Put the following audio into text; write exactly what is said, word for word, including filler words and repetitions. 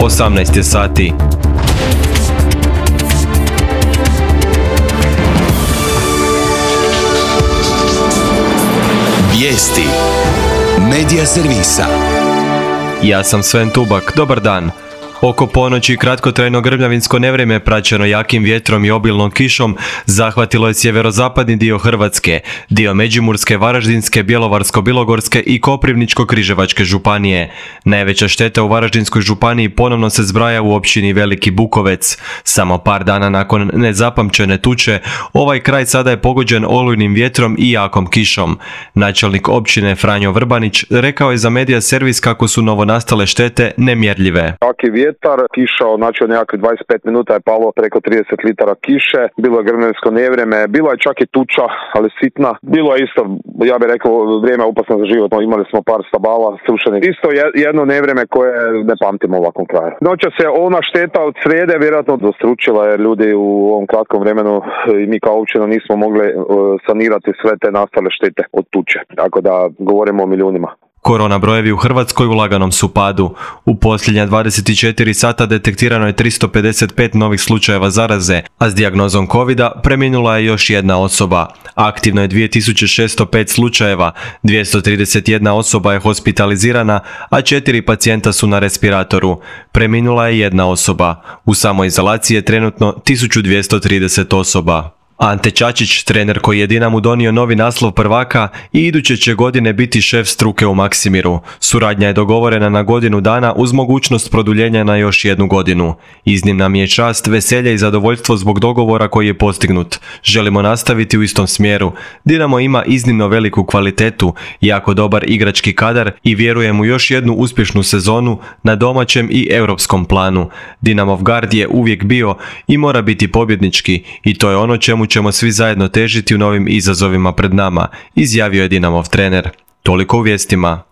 osamnaest je sati. Vijesti Medija servisa. Ja sam Sven Tubak, dobar dan. Oko ponoći kratkotrajno grmljavinsko nevrijeme praćeno jakim vjetrom i obilnom kišom zahvatilo je sjeverozapadni dio Hrvatske, dio Međimurske, Varaždinske, Bjelovarsko-bilogorske i Koprivničko-križevačke županije. Najveća šteta u Varaždinskoj županiji ponovno se zbraja u općini Veliki Bukovec. Samo par dana nakon nezapamćene tuče, ovaj kraj sada je pogođen olujnim vjetrom i jakom kišom. Načelnik općine Franjo Vrbanić rekao je za Medija servis kako su novonastale štete nemjerljive. Vjetar, kiša, znači od nekakvih dvadeset pet minuta je palo preko trideset litara kiše, bilo je grmljavinsko nevrijeme, bilo je čak i tuča, ali sitna. Bilo je isto, ja bih rekao, vrijeme opasno za život, imali smo par stabala srušenih. Isto jedno nevrijeme koje ne pamtimo u ovakvom kraju. Noća se ona šteta od srijede vjerojatno dostručila jer ljudi u ovom kratkom vremenu i mi kao općina nismo mogli sanirati sve te nastale štete od tuče, tako da govorimo o milijunima. Korona brojevi u Hrvatskoj u laganom su padu. U posljednja dvadeset četiri sata detektirano je tristo pedeset pet novih slučajeva zaraze, a s dijagnozom kovida preminula je još jedna osoba. Aktivno je dvije tisuće šesto pet slučajeva, dvjesto trideset jedna osoba je hospitalizirana, a četiri pacijenta su na respiratoru. Preminula je jedna osoba. U samoizolaciji je trenutno tisuću dvjesto trideset osoba. Ante Čačić, trener koji je Dinamu donio novi naslov prvaka i iduće će godine biti šef struke u Maksimiru. Suradnja je dogovorena na godinu dana uz mogućnost produljenja na još jednu godinu. Iznimna mi je čast, veselje i zadovoljstvo zbog dogovora koji je postignut. Želimo nastaviti u istom smjeru. Dinamo ima iznimno veliku kvalitetu, jako dobar igrački kadar i vjerujem u još jednu uspješnu sezonu na domaćem i europskom planu. Dinamov gard je uvijek bio i mora biti pobjednički i to je ono čemu ćemo svi zajedno težiti u novim izazovima pred nama, izjavio je Dinamov trener. Toliko u vijestima.